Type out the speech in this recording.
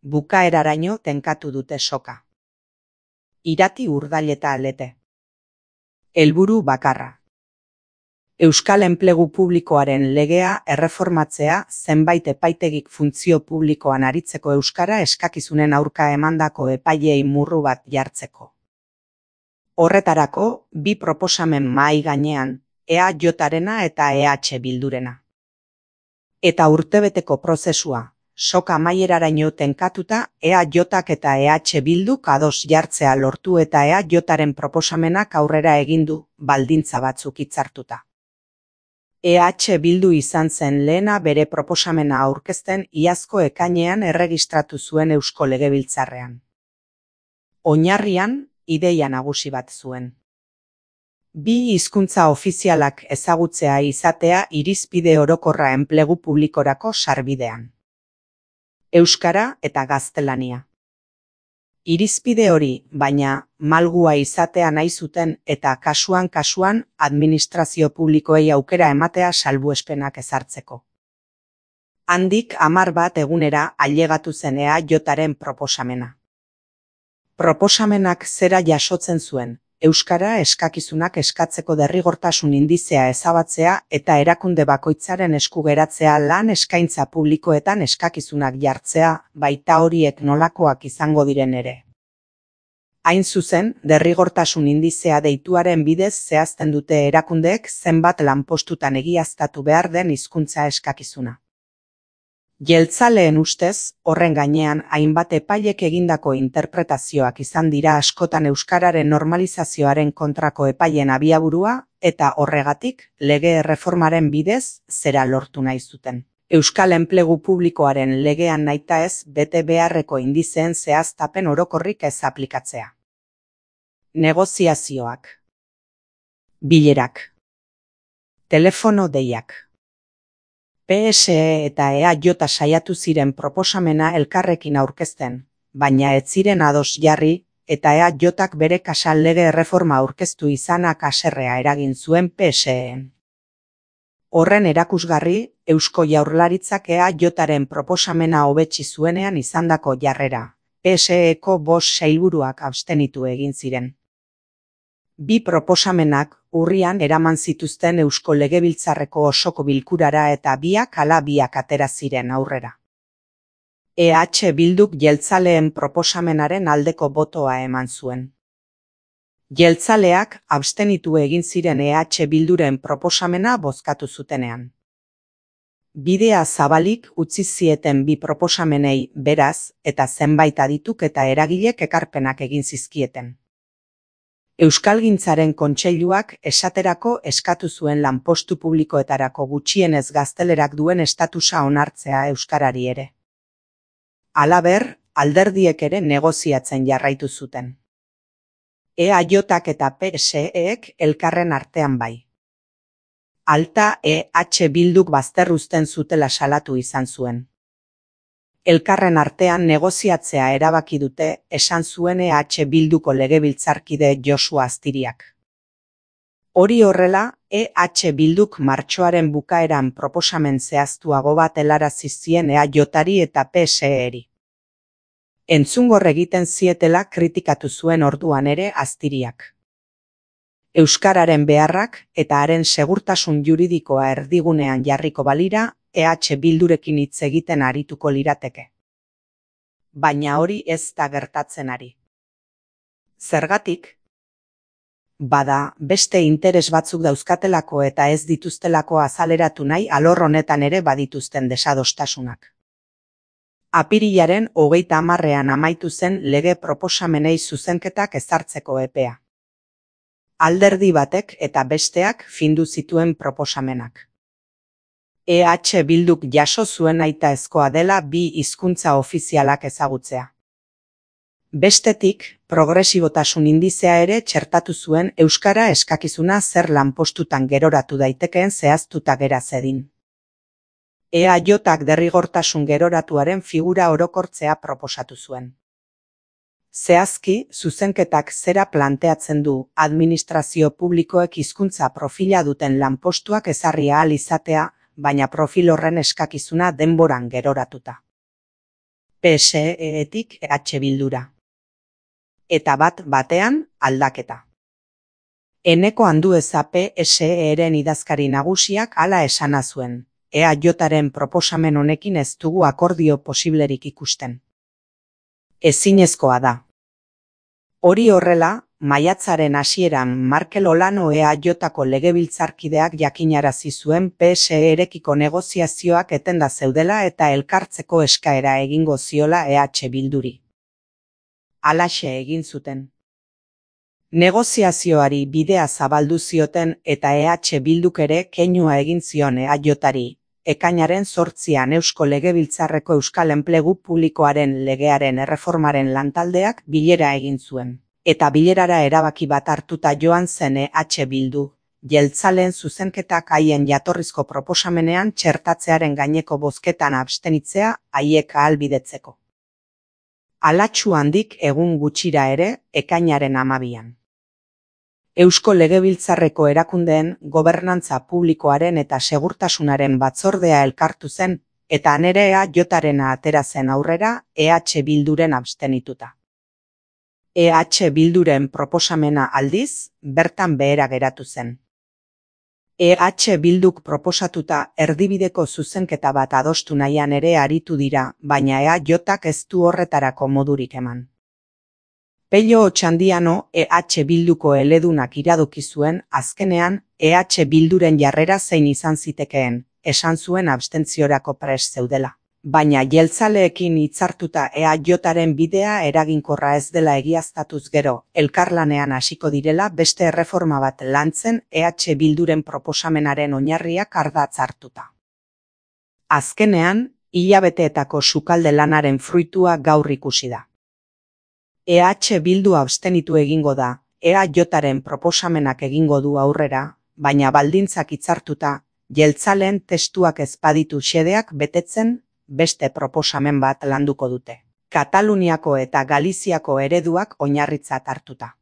bukaeraraino tenkatu dute soka. Irati Urdaileta Lete. Helburu bakarra. Euskal Enplegu Publikoaren legea erreformatzea zenbait epaitegik funtzio publikoan aritzeko euskara eskakizunen aurka emandako epaileei murru bat jartzeko. Horretarako, bi proposamen mahai gainean, EAJarena eta EH Bildurena. Eta urtebeteko prozesua, soka amaieraraino tenkatuta, EAJak eta EH Bilduk ados jartzea lortu eta EAJaren proposamenak aurrera egin du, baldintza batzuk hitzartuta. EH Bildu izan zen lehena bere proposamena aurkezten iazko ekainean erregistratu zuen Eusko Legebiltzarrean. Oinarrian, ideia nagusi bat zuen. Bi hizkuntza ofizialak ezagutzea izatea irizpide orokorra enplegu publikorako sarbidean. Euskara eta gaztelania. Irizpide hori, baina, malgua izatea nahi zuten eta kasuan administrazio publikoei aukera ematea salbuespenak ezartzeko. Handik 10 egunera ailegatu zen EAJaren proposamena. Proposamenak zera jasotzen zuen, euskara eskakizunak eskatzeko derrigortasun indizea ezabatzea eta erakunde bakoitzaren esku geratzea lan eskaintza publikoetan eskakizunak jartzea, baita horiek nolakoak izango diren ere. Hain zuzen, derrigortasun indizea deituaren bidez zehazten dute erakundeek zenbat lanpostutan egiaztatu behar den hizkuntza eskakizuna. Jeltzaleen ustez, horren gainean hainbat epailek egindako interpretazioak izan dira askotan euskararen normalizazioaren kontrako epaien abiaburua eta horregatik lege erreformaren bidez zera lortu nahi zuten. Euskal Enplegu Publikoaren legean nahitaez bete beharreko indizeen zehaztapen orokorrik ez aplikatzea. Negoziazioak. Bilerak. Telefono deiak. PSE eta EAJ saiatu ziren proposamena elkarrekin aurkezten, baina ez ziren ados jarri eta EAJak bere kasal lege erreforma aurkeztu izanak haserrea eragin zuen PSEen. Horren erakusgarri, Eusko Jaurlaritzak EAJaren proposamena hobetsi zuenean izandako jarrera, PSEko 5 sailburuak abstenitu egin ziren. Bi proposamenak urrian eraman zituzten Eusko Legebiltzarreko osoko bilkurara eta biak ala biak atera ziren aurrera. EH Bilduk jeltzaleen proposamenaren aldeko botoa eman zuen. Jeltzaleak abstenitu egin ziren EH Bilduren proposamena bozkatu zutenean. Bidea zabalik utzi zieten bi proposamenei beraz eta zenbait adituk eta eragilek ekarpenak egin zizkieten. Euskalgintzaren Kontseiluak esaterako eskatu zuen lanpostu publikoetarako gutxienez gaztelerak duen estatusa onartzea euskarari ere. Halaber, alderdiek ere negoziatzen jarraitu zuten. EAJak eta PSEek elkarren artean bai. Alta EH Bilduk bazterruzten zutela salatu izan zuen. Elkarren artean negoziatzea erabaki dute, esan zuen EH Bilduko legebiltzarkide Josua Aztiriak. Hori horrela, EH Bilduk martxoaren bukaeran proposamen zehaztuago bat helarazi zien EAJari eta PSEri. Entzungor egiten zietela kritikatu zuen orduan ere Aztiriak. Euskararen beharrak eta haren segurtasun juridikoa erdigunean jarriko balira, EH Bildurekin hitz egiten arituko lirateke. Baina hori ez da gertatzen ari. Zergatik? Bada, beste interes batzuk dauzkatelako eta ez dituztelako azaleratu nahi alor honetan ere badituzten desadostasunak. Apirilaren 30ean amaitu zen lege proposamenei zuzenketak ezartzeko epea. Alderdi batek eta besteak findu zituen proposamenak. EH Bilduk jaso zuen nahitaezkoa dela bi hizkuntza ofizialak ezagutzea. Bestetik, progresibotasun indizea ere txertatu zuen euskara eskakizuna zer lanpostutan geroratu daitekeen zehaztuta gera zedin. EAJak derrigortasun geroratuaren figura orokortzea proposatu zuen. Zehazki, zuzenketak zera planteatzen du administrazio publikoek hizkuntza profila duten lanpostuak ezarri ahal izatea, baina profil horren eskakizuna denboran geroratuta. PSE-etik Bildura. Eta bat-batean aldaketa. Eneko Andueza PSE-ren idazkari nagusiak hala esana zuen. EAJaren proposamen honekin ez dugu akordio posiblerik ikusten. Ezinezkoa da. Hori horrela, maiatzaren hasieran Markel Olano EAJko legebiltzarkideak jakinarazi zuen PSE-rekiko negoziazioak etenda zeudela eta elkartzeko eskaera egingo ziola Bilduri. Halaxe egin zuten. Negoziazioari bidea zabaldu zioten eta Bilduk ere keinua egin zion EAJari. Ekainaren 8an Eusko Legebiltzarreko Euskal Enplegu Publikoaren legearen erreformaren lantaldeak bilera egin zuen. Eta bilerara erabaki bat hartuta joan zen Bildu, jeltzaleen zuzenketak haien jatorrizko proposamenean txertatzearen gaineko bozketan abstenitzea haiek ahalbidetzeko. Alatsu handik egun gutxira ere, ekainaren 12an. Eusko Legebiltzarreko erakundeen gobernantza publikoaren eta segurtasunaren batzordea elkartu zen, eta nere EAJarena atera zen aurrera Bilduren abstenituta. Bilduren proposamena aldiz, bertan behera geratu zen. Bilduk proposatuta erdibideko zuzenketa bat adostu nahian ere aritu dira, baina EAJak ez du horretarako modurik eman. Pello Otxandiano Bilduko eledunak iradoki zuen, azkenean Bilduren jarrera zein izan zitekeen, esan zuen abstentziorako prest zeudela. Baina jeltzaleekin hitzartuta EAJaren bidea eraginkorra ez dela egiaztatuz gero, elkarlanean hasiko direla beste erreforma bat lantzen Bilduren proposamenaren oinarriak ardatz hartuta. Azkenean, hilabeteetako sukalde lanaren fruitua gaur ikusi da. Bildu abstenitu egingo da, EAJaren proposamenak egingo du aurrera, baina baldintzak hitzartuta, jeltzaleen testuak ez baditu xedeak betetzen, beste proposamen bat landuko dute. Kataluniako eta Galiziako ereduak oinarritzat hartuta.